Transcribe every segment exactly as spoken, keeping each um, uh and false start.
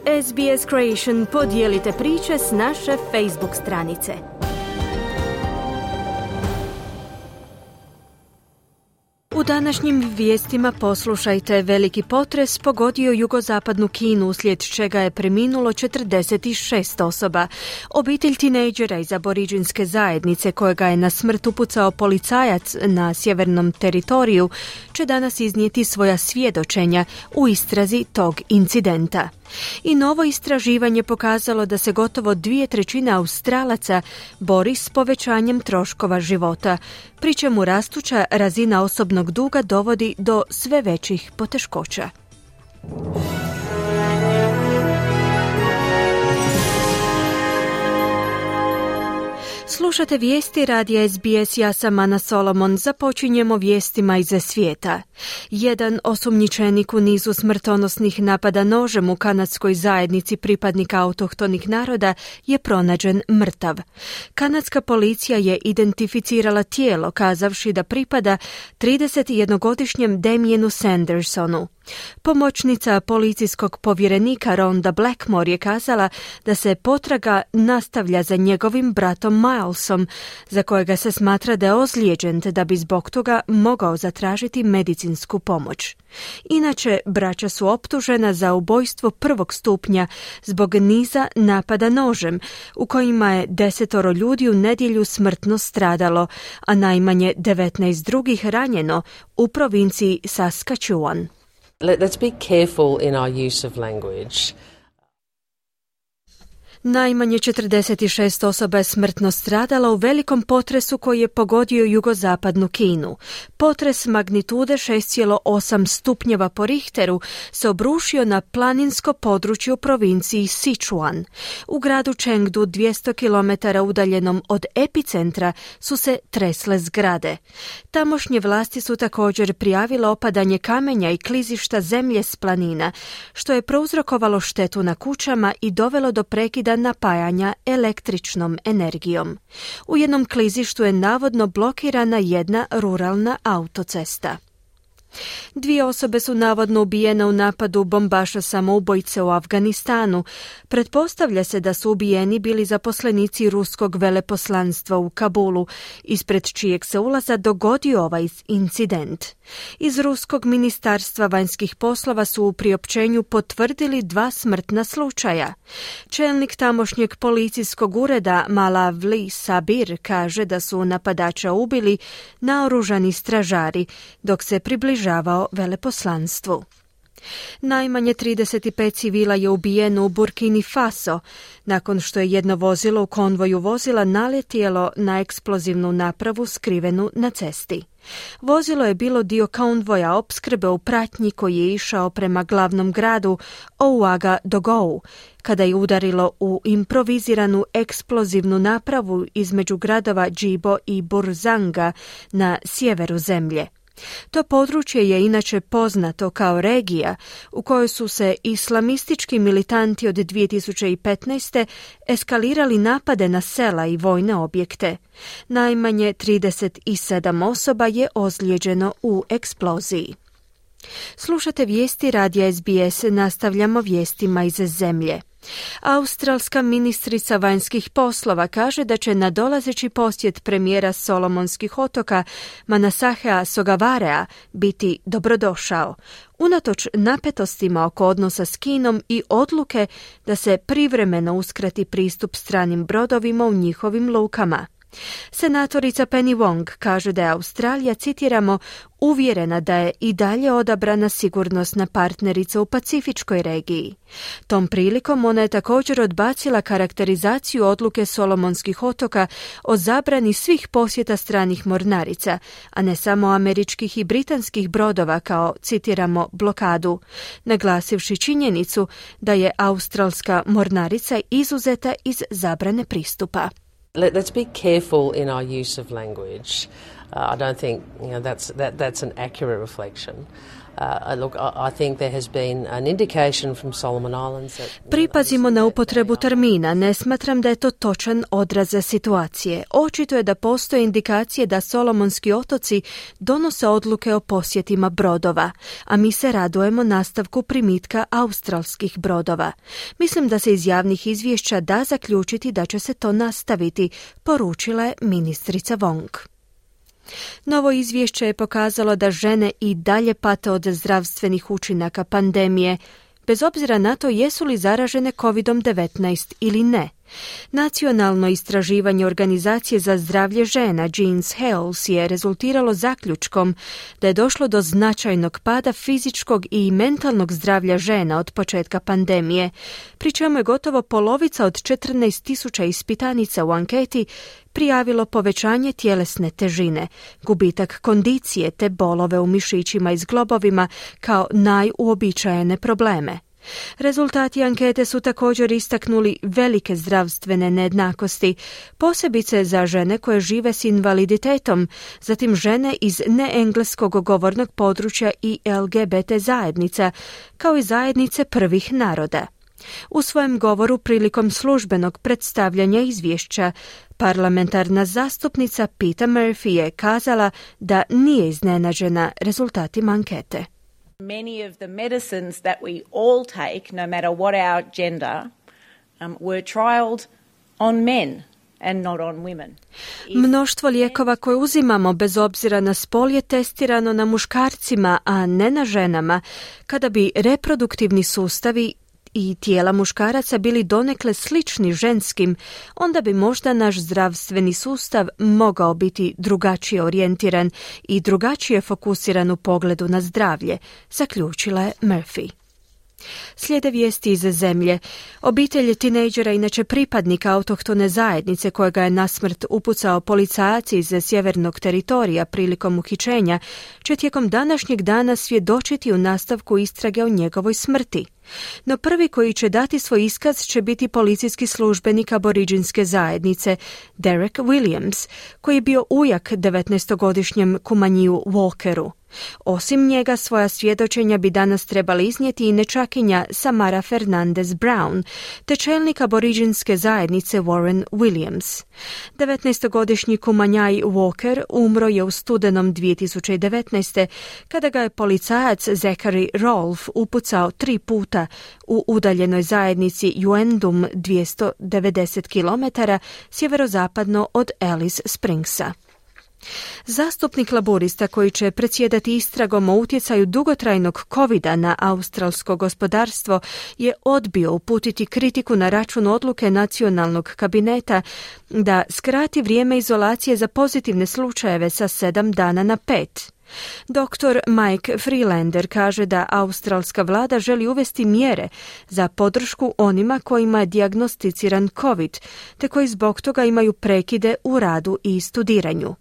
S B S Creation, podijelite priče s naše Facebook stranice. U današnjim vijestima poslušajte: veliki potres pogodio jugozapadnu Kinu, uslijed čega je preminulo četrdeset šest osoba. Obitelj tinejdžera iz aboriđinske zajednice kojega je na smrt upucao policajac na sjevernom teritoriju će danas iznijeti svoja svjedočenja u istrazi tog incidenta. I novo istraživanje pokazalo da se gotovo dvije trećine Australaca bori s povećanjem troškova života, pri čemu rastuća razina osobnog duga dovodi do sve većih poteškoća. Slušate vijesti radija S B S, ja sam Ana Solomon. Započinjemo vijestima iz svijeta. Jedan osumnjičenik u nizu smrtonosnih napada nožem u kanadskoj zajednici pripadnika autohtonih naroda je pronađen mrtav. Kanadska policija je identificirala tijelo kazavši da pripada tridesetjednogodišnjem Damienu Sandersonu. Pomoćnica policijskog povjerenika Rhonda Blackmore je kazala da se potraga nastavlja za njegovim bratom Milesom, za kojega se smatra da je ozlijeđen te da bi zbog toga mogao zatražiti medicinsku pomoć. Inače, braća su optužena za ubojstvo prvog stupnja zbog niza napada nožem, u kojima je desetoro ljudi u nedjelju smrtno stradalo, a najmanje devetnaest drugih ranjeno u provinciji Saskatchewan. Let's be careful in our use of language. Najmanje četrdeset šest osoba je smrtno stradala u velikom potresu koji je pogodio jugozapadnu Kinu. Potres magnitude šest zarez osam stupnjeva po Richteru se obrušio na planinsko područje u provinciji Sichuan. U gradu Chengdu, dvjesto kilometara udaljenom od epicentra, su se tresle zgrade. Tamošnje vlasti su također prijavile opadanje kamenja i klizišta zemlje s planina, što je prouzrokovalo štetu na kućama i dovelo do prekida napajanja električnom energijom. U jednom klizištu je navodno blokirana jedna ruralna autocesta. Dvije osobe su navodno ubijene u napadu bombaša samoubojice u Afganistanu. Pretpostavlja se da su ubijeni bili zaposlenici ruskog veleposlanstva u Kabulu, ispred čijeg se ulaza dogodio ovaj incident. Iz ruskog ministarstva vanjskih poslova su u priopćenju potvrdili dva smrtna slučaja. Čelnik tamošnjeg policijskog ureda Malavli Sabir kaže da su napadača ubili naoružani stražari dok se približavaju žavao veleposlanstvu. Najmanje trideset pet civila je ubijeno u Burkini Faso, nakon što je jedno vozilo u konvoju vozila naletjelo na eksplozivnu napravu skrivenu na cesti. Vozilo je bilo dio konvoja opskrbe u pratnji koji je išao prema glavnom gradu Ouagadougou, kada je udarilo u improviziranu eksplozivnu napravu između gradova Džibo i Burzanga na sjeveru zemlje. To područje je inače poznato kao regija u kojoj su se islamistički militanti od dvije tisuće petnaeste. eskalirali napade na sela i vojne objekte. Najmanje trideset sedam osoba je ozlijeđeno u eksploziji. Slušate vijesti radija S B S, nastavljamo vijestima iz zemlje. Australska ministrica vanjskih poslova kaže da će nadolazeći posjet premijera Solomonskih otoka Manasahea Sogavarea biti dobrodošao, unatoč napetostima oko odnosa s Kinom i odluke da se privremeno uskrati pristup stranim brodovima u njihovim lukama. Senatorica Penny Wong kaže da je Australija, citiramo, uvjerena da je i dalje odabrana sigurnosna partnerica u Pacifičkoj regiji. Tom prilikom ona je također odbacila karakterizaciju odluke Solomonskih otoka o zabrani svih posjeta stranih mornarica, a ne samo američkih i britanskih brodova kao, citiramo, blokadu, naglasivši činjenicu da je australska mornarica izuzeta iz zabrane pristupa. Let's be careful in our use of language. Uh, I don't think you know, that's, that, that's an accurate reflection. Uh, look, I think there has been an indication from Solomon Islands that... Pripazimo na upotrebu termina. Ne smatram da je to točan odraz situacije. Očito je da postoje indikacije da Solomonski otoci donose odluke o posjetima brodova, a mi se radujemo nastavku primitka australskih brodova. Mislim da se iz javnih izvješća da zaključiti da će se to nastaviti, poručila je ministrica Wong. Novo izvješće je pokazalo da žene i dalje pate od zdravstvenih učinaka pandemije, bez obzira na to jesu li zaražene kovid devetnaest ili ne. Nacionalno istraživanje Organizacije za zdravlje žena Jeans Health je rezultiralo zaključkom da je došlo do značajnog pada fizičkog i mentalnog zdravlja žena od početka pandemije, pri čemu je gotovo polovica od četrnaest tisuća ispitanica u anketi prijavilo povećanje tjelesne težine, gubitak kondicije te bolove u mišićima i zglobovima kao najuobičajene probleme. Rezultati ankete su također istaknuli velike zdravstvene nejednakosti, posebice za žene koje žive s invaliditetom, zatim žene iz neengleskog govornog područja i L G B T zajednica, kao i zajednice prvih naroda. U svojem govoru prilikom službenog predstavljanja izvješća, parlamentarna zastupnica Peta Murphy je kazala da nije iznenađena rezultatima ankete. Many of the medicines that we all take, no matter what our gender, um, were trialled on men and not on women. Mnoštvo lijekova koje uzimamo bez obzira na spol je testirano na muškarcima, a ne na ženama, kada bi reproduktivni sustavi i tijela muškaraca bili donekle slični ženskim, onda bi možda naš zdravstveni sustav mogao biti drugačije orijentiran i drugačije fokusiran u pogledu na zdravlje, zaključila je Murphy. Slijede vijesti iz zemlje. Obitelj tinejdžera, inače pripadnika autohtone zajednice kojega je nasmrt upucao policajac iz sjevernog teritorija prilikom uhićenja, će tijekom današnjeg dana svjedočiti u nastavku istrage o njegovoj smrti. No prvi koji će dati svoj iskaz će biti policijski službenik aboriđinske zajednice Derek Williams, koji je bio ujak devetnaestogodišnjem Kumanjiju Walkeru. Osim njega, svoja svjedočenja bi danas trebali iznijeti i nečakinja Samara Fernandez Brown, te čelnik aboriđinske zajednice Warren Williams. devetnaestogodišnji Kumanjaj Walker umro je u studenom dvije tisuće devetnaeste. kada ga je policajac Zachary Rolfe upucao tri puta u udaljenoj zajednici Uendum dvjesto devedeset kilometara sjeverozapadno od Alice Springsa. Zastupnik laburista koji će predsjedati istragom o utjecaju dugotrajnog kovida na australsko gospodarstvo je odbio uputiti kritiku na račun odluke nacionalnog kabineta da skrati vrijeme izolacije za pozitivne slučajeve sa sedam dana na pet. Doktor Mike Freelander kaže da australska vlada želi uvesti mjere za podršku onima kojima je dijagnosticiran COVID, te koji zbog toga imaju prekide u radu i studiranju.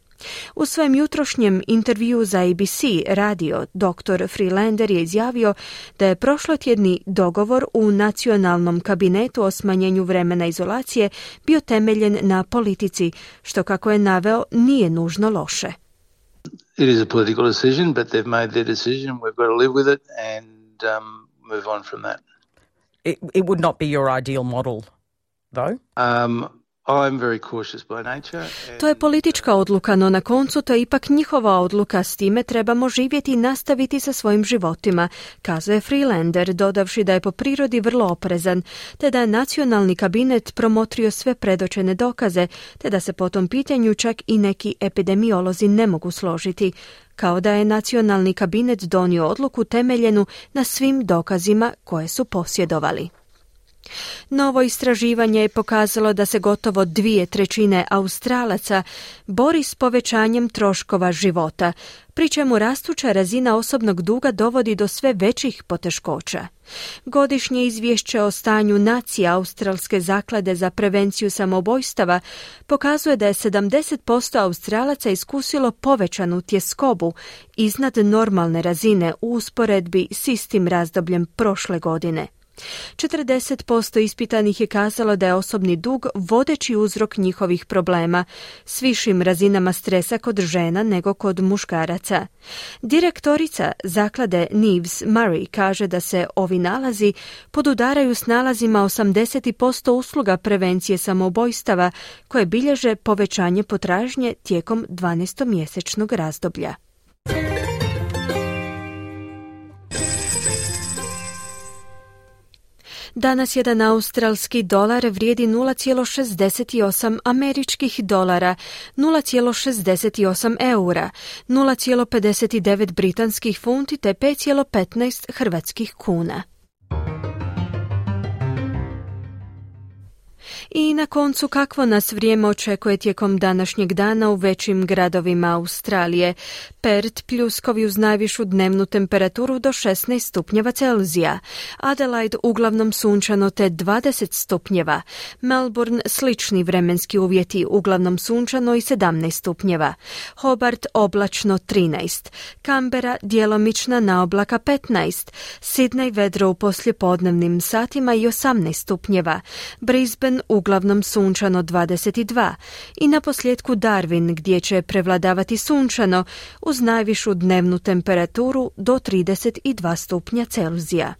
U svojem jutrošnjem intervjuu za A B C radio doktor Freelander je izjavio da je prošlotjedni dogovor u nacionalnom kabinetu o smanjenju vremena izolacije bio temeljen na politici, što, kako je naveo, nije nužno loše. It is a political decision, but they've made their decision. We've got to live with it and um, move on from that. It, it would not be your ideal model, though? Um, I'm very cautious by nature. To je politička odluka, no na koncu to je ipak njihova odluka, s time trebamo živjeti i nastaviti sa svojim životima, kazuje Freelander, dodavši da je po prirodi vrlo oprezan, te da je nacionalni kabinet promotrio sve predočene dokaze, te da se po tom pitanju čak i neki epidemiolozi ne mogu složiti, kao da je nacionalni kabinet donio odluku temeljenu na svim dokazima koje su posjedovali. Novo istraživanje je pokazalo da se gotovo dvije trećine Australaca bori s povećanjem troškova života, pri čemu rastuća razina osobnog duga dovodi do sve većih poteškoća. Godišnje izvješće o stanju nacije Australske zaklade za prevenciju samoubojstava pokazuje da je sedamdeset posto Australaca iskusilo povećanu tjeskobu iznad normalne razine u usporedbi s istim razdobljem prošle godine. četrdeset posto ispitanih je kazalo da je osobni dug vodeći uzrok njihovih problema, s višim razinama stresa kod žena nego kod muškaraca. Direktorica zaklade Neves Murray kaže da se ovi nalazi podudaraju s nalazima osamdeset posto usluga prevencije samoubojstava koje bilježe povećanje potražnje tijekom dvanaestomjesečnog razdoblja. Danas jedan australski dolar vrijedi nula zarez šezdeset osam američkih dolara, nula zarez šezdeset osam eura, nula zarez pedeset devet britanskih funti te pet zarez petnaest hrvatskih kuna. I na koncu, kakvo nas vrijeme očekuje tijekom današnjeg dana u većim gradovima Australije. Perth pljuskovi uz najvišu dnevnu temperaturu do šesnaest stupnjeva Celzija. Adelaide uglavnom sunčano te dvadeset stupnjeva. Melbourne slični vremenski uvjeti, uglavnom sunčano i sedamnaest stupnjeva. Hobart oblačno trinaest. Canberra djelomična naoblaka petnaest. Sydney vedro u poslijepodnevnim satima i osamnaest stupnjeva. Brisbane uglavnom sunčano dvadeset dva i na posljedku Darwin gdje će prevladavati sunčano uz najvišu dnevnu temperaturu do trideset dva stupnja Celzija.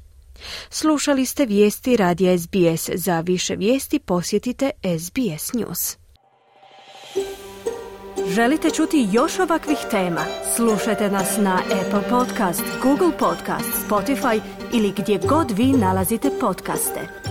Slušali ste vijesti radija S B S. Za više vijesti posjetite S B S News. Želite čuti još ovakvih tema? Slušajte nas na Apple Podcast, Google Podcast, Spotify ili gdje god vi nalazite podcaste.